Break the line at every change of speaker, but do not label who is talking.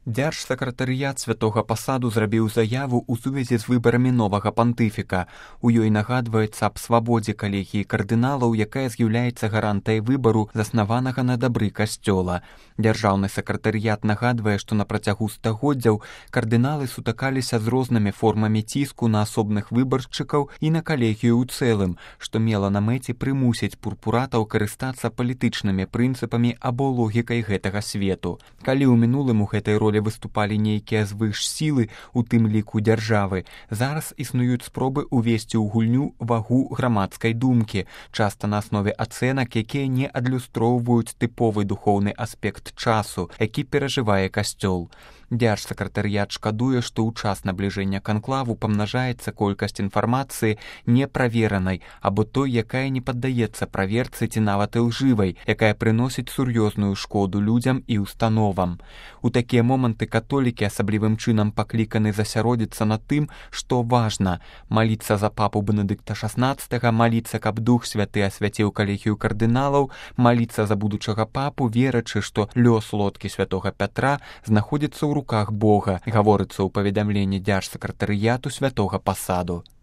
Дзяржсакратарыят святога пасаду зрабіў заяву ў сувязі з выбарамі новага пантыфіка. У ёй нагадваецца аб свабодзе калегіі кардыналаў, якая з'яўляецца гарантай выбару, заснаванага на дабры касцёла. Дзяржаўны сакратарыят нагадвае, што на працягу стагоддзяў кардыналы сутыкаліся з рознымі формамі ціску на асобных выбаршчыкаў і на калегію ў цэлым, што мела на мэце прымусіць пурпуратаў карыстацца палітычнымі прынцыпамі або логікай гэтага свету. Калі ў мінулым у гэтай ролі выступалі нейкія звышсілы, у тым ліку дзяржавы, зараз існуюць спробы ўвесці ў гульню вагу грамадскай думкі, часта на аснове ацэнак, якія не адлюстроўваюць тыповы духоўны аспект часу, які перажывае касцёл. Дзяржсакратарыят шкадуе, што ў час набліжэння канклаву памнажаецца колькасць інфармацыі неправеранай або той, якая не паддаецца праверцы ці нават ілжывай, якая прыносіць сур'ёзную шкоду людзям і установам. У такія моманты католікі асаблівым чынам пакліканы засяродзіцца на тым, што важна – маліцца за папу Бенедыкта XVI, маліцца, каб Дух Святы асвяціў калегію кардыналаў, маліцца за будучага папу, верачы, што лёс лодкі святога Пятра знаходзіцца ў руках Бога, гаворыцца ў паведамленні дзяржсакратарыяту святога пасаду.